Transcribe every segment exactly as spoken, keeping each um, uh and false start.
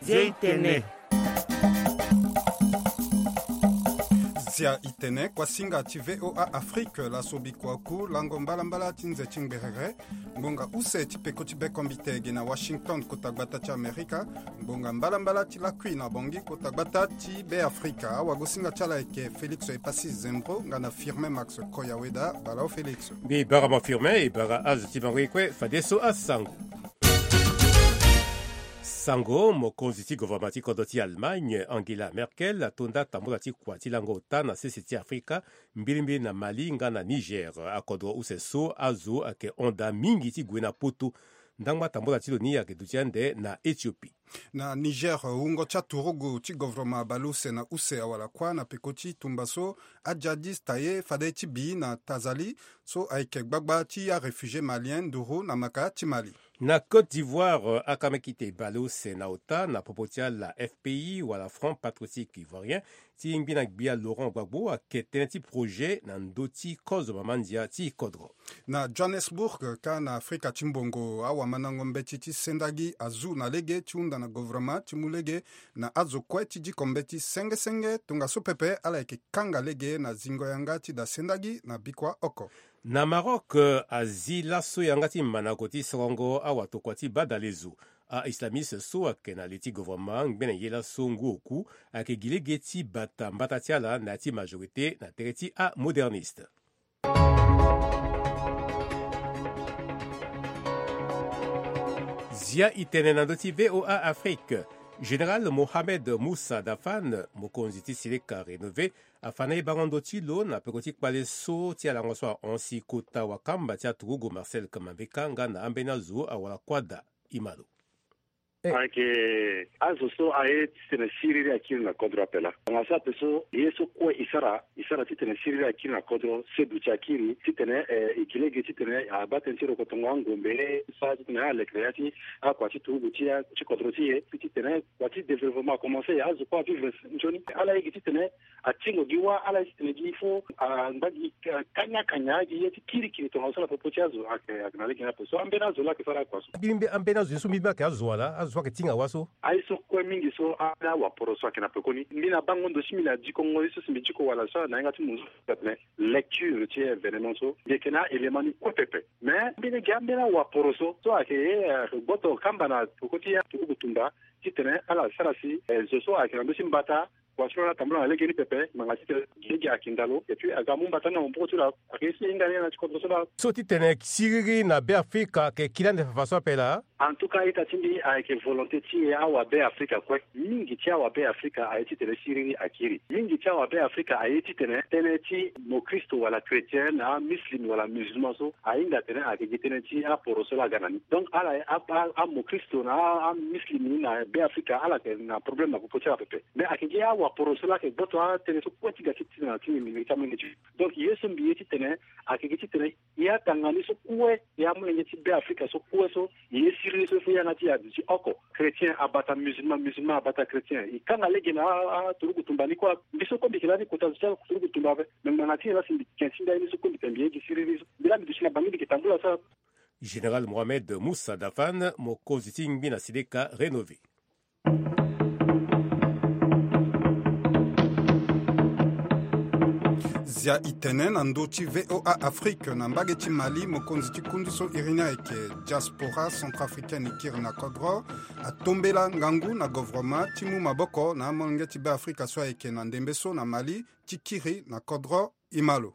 Zia itene. Zia itene, kuasinga ti V O A Afrique, laso bikua ku lango mbalambala ti nze ti ngberere. Ngbonga use ti peko ti bekombite ge na Washington, kota gbata ti Amerika. Ngbonga mbalambala ti lakui na Bangui, kota gbata ti Beafrika. Awagosinga ti ala ayeke Félix Epassi Zembro nga na Firmin Max Koyaweda. Bala o Félix. Mbi bara mo Firmin, e bara azo ti bango ye kue fadeso asango. Sango, mokonzi ti governement ti kodro ti Allemagne, Angela Merkel, atonda tambula ti kua ti lango ota na sese ti Afrika, mbilimbili na Mali nga na Niger. Akodro use so azo ayeke honda mingi ti gue na Poto. Ndangba tambula ti lo ni ayeke duti ande na Éthiopie. Na Niger, wungo ti aturugu ti governement abale use na use awara kuâ na peko ti tumba so ajihadiste aye fade ti bi na Tazali, so ayeke gbagba ti aréfugié malien nduru na maka ti Mali. Na Côte d'Ivoire, akamekite bale use na ota na popo ti ala F P I wala Front Patriotique Ivoirien ti ngbina gbia Laurent Gbagbo ayeke tënë ti projet na ndö ti kozo mama ndia ti kodro. Na Johannesburg, ka na Afrika ti mbongo, awamandango mbeti ti sendagi azu na lege ti hunda na governement ti mu lege na azo kue ti diko mbeti senge senge, tongaso pepe ala yeke kanga lege na zingo yanga ti da sendagi na bikua oko. Na Maroc, azi laso yanga ti manako ti sorongo awatokua ti badalezo. A-islamiste so ayeke na li ti governement ngbene ye laso ngu oku ayeke gi lege ti bata mbata ti ala na ya ti majorité na tere ti amoderniste. Zia itene na ndö ti V O A Afrique. Général Mohamed Moussa Dafan, mokonzi ti seleka rénové, afa na e bango ndö ti lo na peko ti kpale so ti alango so ahon si kota wakamba ti aturugu Marcel Kamambeka nga na ambeni azo awara kuâ daa. Imalo. Ayeke azo so aye titene siriri akiri na kodro ape laa. Ngbanga so ape so ye so kue e sara, e sara titene siriri akiri na kodro, seduti akiri titene, eh, e gi lege titene abaa tënë ti rokotongo angombe, sara titene alekere ya ti akua ti turugu ti, ti kodro ti e, titene kua ti développement akomanse, azo kue avivre nzoni. Ala ye gi titene atingo gi wâ, ala ye titene gi fo angba gi, ah, kanya kanya gi ye ti kirikiri tongaso na popo ti azo ayeke, ayeke na lege ni ape so. Ambeni azo laa ayeke sara akua so. Mbi, mbi, ambeni azo ye so mbi, mbi ayeke azo wala azo so ayeke tinga wâ so. Aye so kue mingi so, ambeni awaporo so ayeke na pekoni. Mbi na bango ndo ti mbi na dikongo ye so si mbi diko wala so na yanga ti munzu tene lecture ti événement so. Mbi yeke na aélément ni kue pepe. Mais mbeni gi ambeni awaporo so, so ayeke, eh, gboto kamba na peko ti aturugu tumba titene ala sara si, eh, zo so ayeke na ndö ti mbata, kua so ala tambula na lege ni pepe, ngbanga titene gi lege ayeke ndalo, et puis aga amu mbata ni na maboko ti lo, ayeke ye so e hinga ni na ti kodro so laa. So titene siriri na Beafrika ayeke kiri ande fafa so ape laa. En tout cas, ita ti mbi ayeke volonté ti e awa Beafrika kue. Mingi ti awa Beafrika aye titene siriri akiri. Mingi ti awa Beafrika aye titene tënë ti mokristo wala chrétien na amuslim wala musulman so ahinga atene ayeke gi tënë ti aporo so laa aga na ni. Donc ala, a, a, amokristo na a, amuslim ni na Beafrika, ala yeke na problème na popo ti ala pepe. Mais ayeke gi awaporo so laa ayeke gboto atënë so kue ti ga ti tene na ti mbi, mbi ti amolenge ti. Donc ye so mbi ye titene ayeke gi titene e atanga ni so kue, e amolenge ti Beafrika so kue so, e ye siriri so e fo e yanga ti e aduti oko. Chrétien abata musulman, musulman abata chrétien. E kanga lege na a, a, aturugu tumba ni kue. Mbi so kue mbi yeke lani kota zo ti aturugu tumba ape. Me ngbanga ti nyen laa si mbi yeke ti ndali ni so kue mbi tene mbi ye gi siriri so? Mbi laa mbi duti na Bangui, mbi yeke tambula so. Général Mohamed Moussa Dafan, mokonzi ti ngbi na seleka rénové. Zia itene na ndö ti V O A Afrique, na mbage ti Mali, mokonzi ti kundu so iri ni ayeke diaspora centrafricaine e kiri na kodro, atombela ngangu na governement ti mu maboko na amolenge ti Beafrika so ayeke na ndembe so na Mali ti kiri na kodro. Imalo.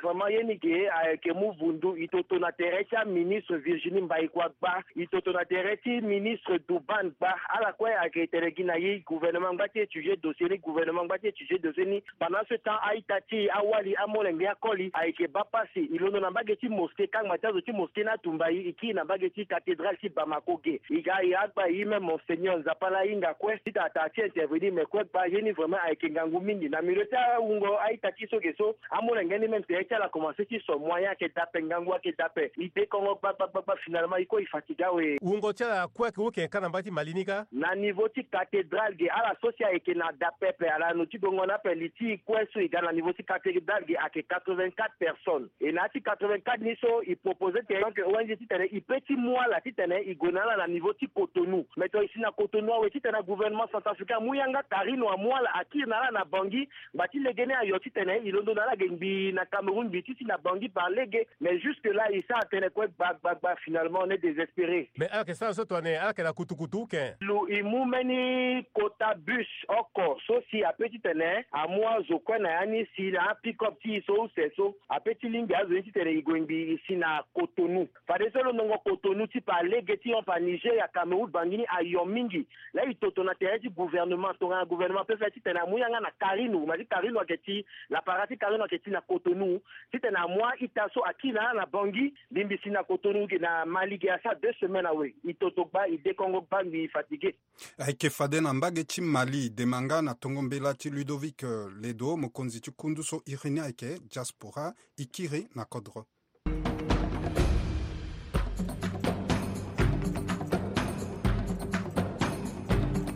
Vraiment, ye ni ge ayeke mu vundu. E toto na tere ti aministre Virginie Mbaïkwa gba, e toto na tere ti ministre Douban gba. Ala kue ayeke tene gi na e gouvernement angba ti étudier dossier ni, gouvernement angba ti étudier dossier ni. Pendant ce temps, a-ita ti e, awali, amolenge, akoli ayeke baa pasi. E londo na mbage ti mosquée, kangba ti azo ti mosquée ni atumba e, e kiri na mbage ti cathédrale ti Bamako ge. E ga e agba e même Monseigneur Nzapa laa ahinga kue ti tata ti intervenir, me kue gba ye ni vraiment ayeke ngangu mingi na milieu ti awungo a-ita ti e so ge so. Amolenge ni même tere ti Ti ala komanse ti so moyen ayeke da ape, ngangu ayeke da ape. E dekongo gba gba gba gba, finalement e kue e fatigue awe. Wungo ti ala kue ayeke oke ka na mbage ti Mali ni ka? Na niveau ti cathédrale ge, ala so si ayeke na da pepe, ala no ti gongo na ape. Li ti e kue so e ga na niveau ti cathédrale ge ayeke quatre-vingt-quatre personnes. E na ya ti quatre-vingt-quatre ni so e propose titene donc O N G titene e peut ti mu ala titene e gue na ala na niveau ti Cotonou. Mais tongana e si na Cotonou awe titene agouvernement centrafricain amu yanga carino amu ala akiri na ala na Bangui, ngba ti lege ni ayo titene e londo na ala ge ngbii na Cameroun, ngbii ti si na Bangui par lege. Mais jusque là e sara tënë kue gba gba gba, finalement on est désespéré. Mais ala yeke sara so tongana ala yeke na kutukutu uke? Lo e mu mbeni kota bus oko so si ape titene amu azo kue na ya ni si na apick-up ti e so use so, ape ti lingbi azo ni titene e gue ngbii e si na Cotonou. Fadeso lo nongo Cotonou ti par lege ti hon par Nigeria, Cameroun, Bangui ni ayo mingi. Laa e toto na tere ti gouvernement, tongana gouvernement ape fade titene amu yanga na carino, ma ti carino ayeke ti, lapara ti carino ayeke ti na Cotonou, titene amu a-ita so akiri na ala na Bangui, mbi mbi si na Cotonou ge na Mali ge asara deux semaines awe. E toto gba, e dekongo gba, mbi fatigué. Ayeke fade na mbage ti Mali, demanga na tongo mbela ti Ludovic, eh, Ledo, mokonzi ti kundu so iri ni ayeke diaspora, e kiri na kodro.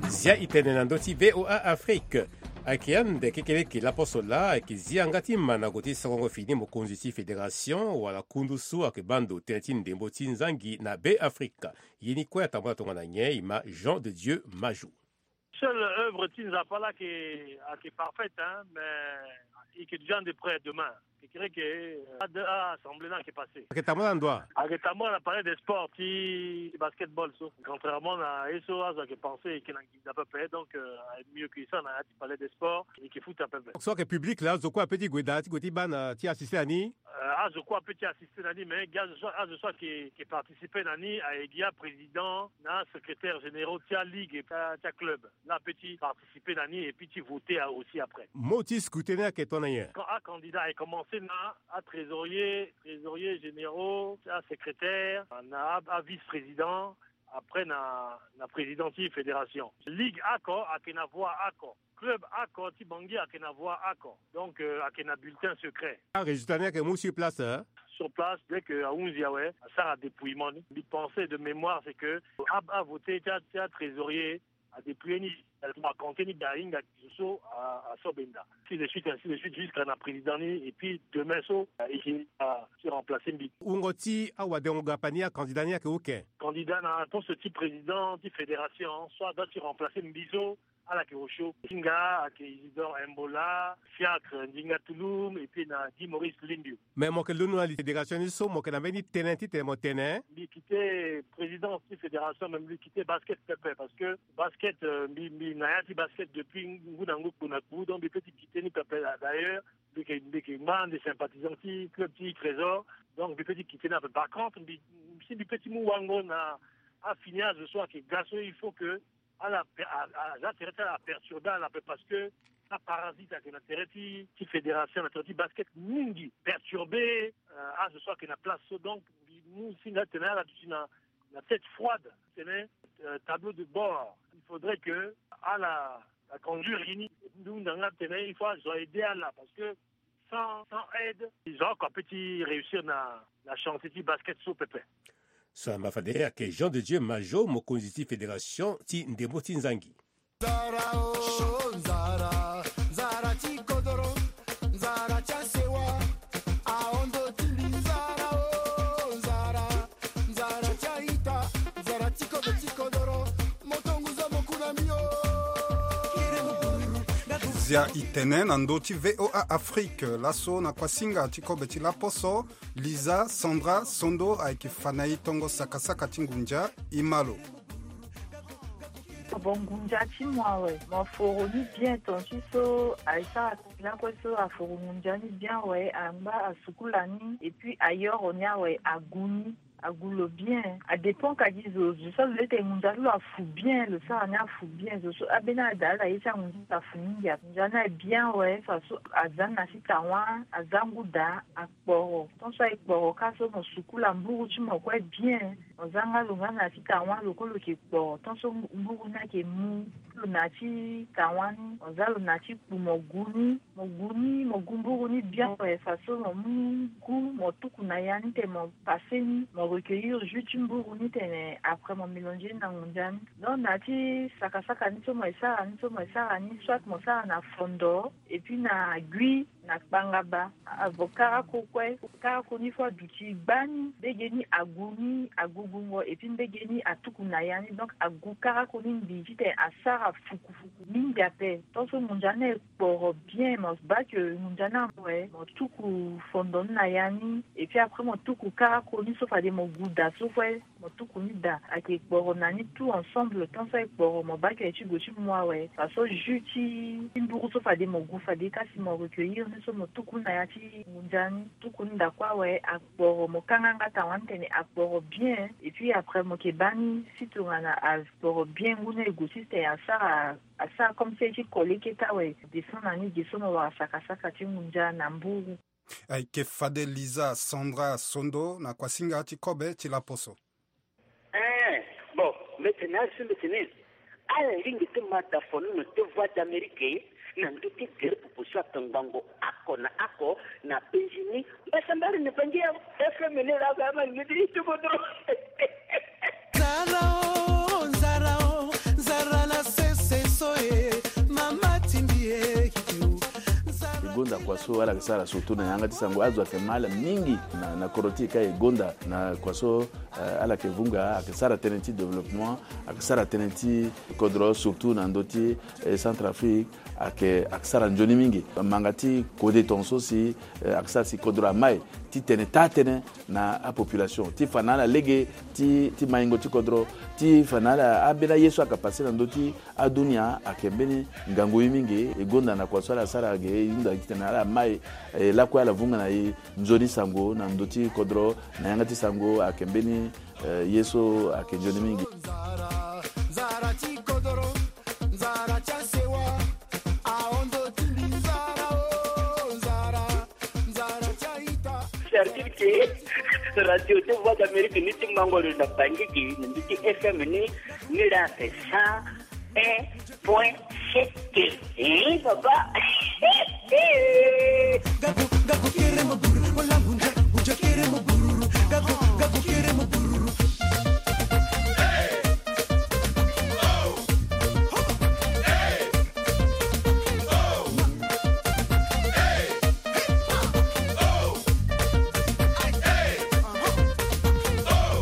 Zia e tene na ndö ti V O A Afrique. Ayeke ande kekeleke laposo laa ayeke zi yanga ti mandango ti sakongo fini mokonzi ti fédération wala kundu so ayeke baa ndo tënë ti ndembo ti nzangi na Beafrika. Ye ni kue atambula tongana nyen? E ma Jean de Dieu Majou. Seule œuvre ti Nzapa la ayeke, ayeke parfaite, hein, mais il que déjà de près demain. Kekereke, euh, a, a assemblée la ayeke passé. Ayeke tambula na ndo wa? Ayeke tambula na palais des sports ti basketball so. Contrairement na ye so azo ayeke pensé, e yeke na nginza pepe, donc, euh, mieux que ça na ya ti palais des sports, e yeke futa pepe. So ayeke public la, azo kue ape ti gue daa ti gue ti baa na ti assisté na ni? Euh, azo kue ape ti assisté na ni, mais gi azo so, azo so ayeke, ayeke participer na ni ayeke gi aprésident na asecrétaire généraux ti aligue, ti a, ti aclub. La ape ti participer na ni et puis ti voter aussi après. Mot ti scrutin ni ayeke tongana nyen? Quand acandidat ayeke commencé na atrésorier, trésorier généraux, asecrétaire, na a, avice-président, après na, na président ti fédération. Ligue oko ayeke na voix oko. Club oko ti Bangui ayeke na voix oko. Donc, euh, ayeke na bulletin secret. Arésultat ni ayeke mu sur place, hein? Sur place, dès que ahunzi awe, asara dépouillement ni. Mbi pensé de mémoire, c'est que a, avoté ti a, ti atrésorier, adépouillé ni, acompté ni daa, ahinga zo so a, aso benda. Ainsi de suite, ainsi de suite, jusqu'à na président ni, et puis demain so, euh, e yeke, euh, ti remplacer mbi. Wungo ti awadengo gapa ni, acandidat ni ayeke oke? Candidat na poste ti président ti fédération, so adoit ti remplacer mbi so, ala yeke osio. Ti nga ayeke Isidore Embola, Fiacre Ndinga Tulum, et puis na Guy Maurice Limbiu. Mais mo yeke londo na li fédération ni so, mo yeke na mbeni tënë titene mo tene? Mbi quitté présidence ti fédération, mais mbi quitté basket pepe, parce que basket, euh, mbi, mbi na ya ti basket depuis ngu na ngu, kpo na kpo, donc mbi peut ti quitté ni pepe. D'ailleurs, mbi yeke, mbi yeke ngbanga nde sympathisant ti club ti Trésor, donc mbi peut ti quitté ni ape. Par contre, mbi, si mbi peut ti mu wango na afini azo so ayeke ga so, il faut que ala pe-, a, a, aza tere ti ala aperturbé ala ape, parce que aparasite ayeke na tere ti, ti fédération, na tere ti basket mingi, perturbé, euh, azo so ayeke na place so. Donc mbi mu singa titene ala duti na, na tête froide, titene, euh, tableau de bord. Il faudrait que ala, ala conduire ye ni. Mbi hunda nga titene il faut azo a aider ala, parce que sans, sans aide, azo oko ape ti réussir na, na chantier ti basket so pepe. So na ma fade ayeke Jean de Dieu Majot, mokonzi ti fédération ti ndembo ti nzangi. Nzara o, nzara, nzara ti kodoro, nzara ti asewa, ahondo ti mbi, nzara o, nzara, nzara ti a-ita, nzara ti kodo ti kodoro, moto ngu zo mo ku na mbi o. Zia e tene na ndö ti V O A Afrique, laso na kuasinga ti kobe ti laposo, Lisa Sandra Sondo ayeke fa na e tongo sakasaka ti ngunza, e ma lo. Bon, ngunza ti mo awe, mo foro ni bien, ton ti so aye sara lakue so aforo ngunza ni bien awe, angba asukula ni, et puis ayoro ni awe, agu ni, agu lo bien. Adépend ka gi zo, zo so lo leke ngunza ti lo afu bien, lo sara ni afu bien, zo so ambeni ada ala ye ti angunza ti lo afu mingi ape. Ngunza ni aye bien awe, faso aza ni na sita wa, aza ngu daa, akporo. Ton so aye kporo ka so mo sukula mburu ti mo kue bien. Mo za nga lo nga na ti tawa lo ko lo yeke kporo tant so mburu ni ayeke mu. Lo na ti tawa ni mo za lo na ti kpu mo gu ni. Mo gu ni mo gu mburu ni bien awe façon mo mu gu mo tuku na ya ni tene mo passe ni mo recueillir jus ti mburu ni tene après mo mélanger ni na ngunza ni. Donc na ti saka saka ni so mo ye sara ni so mo ye sara ni soit mo sara na fondo et puis na gui na kpangaba. Avo karako kue karako ni fo aduti gba ni mbege ni agu ni agu gungo et puis mbege ni atuku na ya ni donc agu karako ni mbi titene asara fukufuku mingi ape. Tant so ngunza ni aye kporo bien mo baa ke ngunza ni amoe mo tuku fondo ni na ya ni et puis après mo tuku karako ni so fade mo gu da so kue. Mo tuku ni da ayeke kporo na ni tout ensemble tant so aye kporo mo baa ke aye ti gue ti mo awe façon jus ti mburu so fade mo gu fade kasi mo recueillir ni so mo tuku ni na ya ti ngunza ni tuku ni da kue awe. Akporo mo kanga nga tawa ni tene akporo bien et puis après mo yeke baa ni si tongana akporo bien ngu ni aye gue ti tene asara asara comme si aye ti coller keta awe. Descend na ni ge so mo wara saka saka ti ngunza na mburu. Ayeke fade Liza Sandra Sondo na kuasinga ti kobe ti laposo. Eh, bon, mbeti na azo mbeti ni ala lingbi ti ma da fono na ti Voix d'Amérique na ndö ti gere pupu so atongbango oko na oko na penzi ni. Mbasambari ni bangi ya F M ni la ga ma ni ti tubo dro. Nzara o, nzara o, nzara na sese so e, mama timbi e. Nzara. E gonda kua so ala yeke sara surtout na yanga ti sango azo ayeke ma ala mingi na, na kodro ti e ka e gonda na kua so, eh, ala yeke vunga ayeke sara tënë ti développement, ayeke sara tënë ti kodro surtout na ndö ti, eh, Centrafrique. Ayeke, ayeke sara nzoni mingi. Manga ti kode tongaso si, eh, ayeke sara si kodro amai titene taa tënë na apopulation ti fa na ala lege ti, ti maingo ti kodro ti fa na ala ambeni aye so ayeke passe na ndö ti adunia ayeke mbeni ngangu ye mingi. E gonda na kua so ala sara ge e hunda titene ala mai, eh, lakue ala vunga na e nzoni sango na ndö ti kodro na yanga ti sango ayeke mbeni, eh, ye so ayeke nzoni mingi. Nzara, nzara ti kodro, nzara ti asewa, ahondo ti mbi nzara o, nzara, nzara ti a-ita. Certitude ke radio ti Voix d'Amérique ni ti mango lo na Bangui gi na ndö ti F M ni, ni la fait cent un point sept. Eh, papa.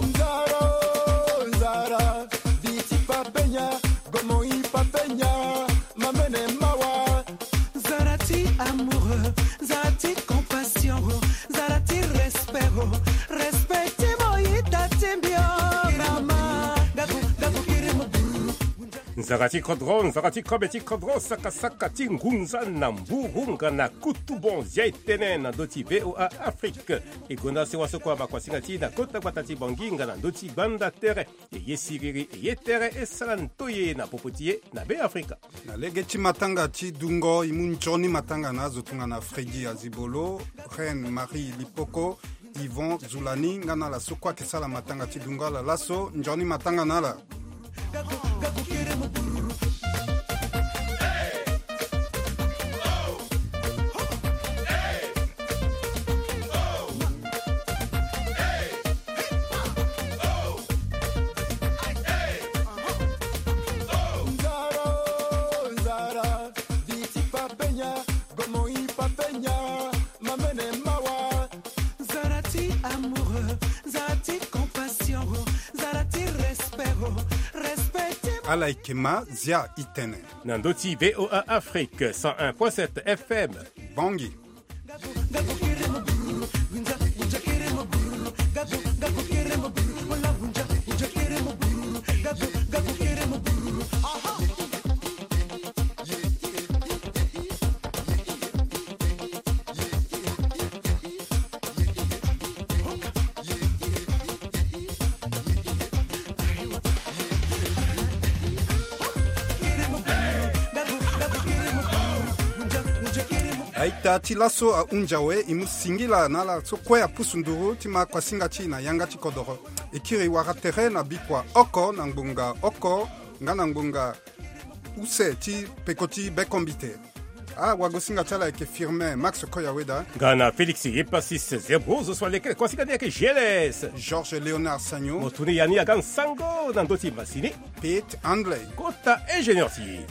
Nzara o, nzara, viti papenya, gomo i papenya, mamene mawa. Nzara ti amoureux, nzara ti compassion, nzara ti respect, respect ti mo ita ti mbi o, mama. Gagu, gagu, kiri mo. Nzara ti kodro, nzara ti kobe ti kodro, saka saka ti ngunza na mburu nga na kutu bon zia e tënë na ndö ti V O A Afrique. E gonda sewa so kue abakua singa ti na kota gbata ti Bangui nga na ndö ti gbanda tere. E ye siriri, e ye tere, e sara ntoye na popo ti e na Be Afrika. Na lege ti matanga ti dungo e mu nzoni matanga na azo tongana Freddy Azibolo, Reine Marie Lipoko, Yvon Zulani nga na ala so kue ayeke sara matanga ti dungo ala laso. Nzoni matanga na ala. Nzara o, nzara, viti papenya, gomo i papenya, mamene mawa. Nzara ti amoureux, nzara ti compassion, nzara ti respect, respect ti. Ala yeke ma zia e tene. Na ndö ti V O A Afrique cent un point sept F M. Bangui. Aita ti laso ahunzi awe, e mu singila na ala so kue apusu nduru ti ma kuasinga ti e na yanga ti kodoro. E kiri wara tere na bikua oko na ngbonga oko nga na ngbonga use ti peko ti bekombite. Awagosinga ti ala ayeke Firmin Max Koyaweda. Nga na Félix Epasis Zerbo zo so alekere kuasinga ni ayeke G L S. Georges Léonard Sagno. Mo tuni ya ni aga nsango na ndö ti masini. Pete Andley. Kota ingénieur ti e.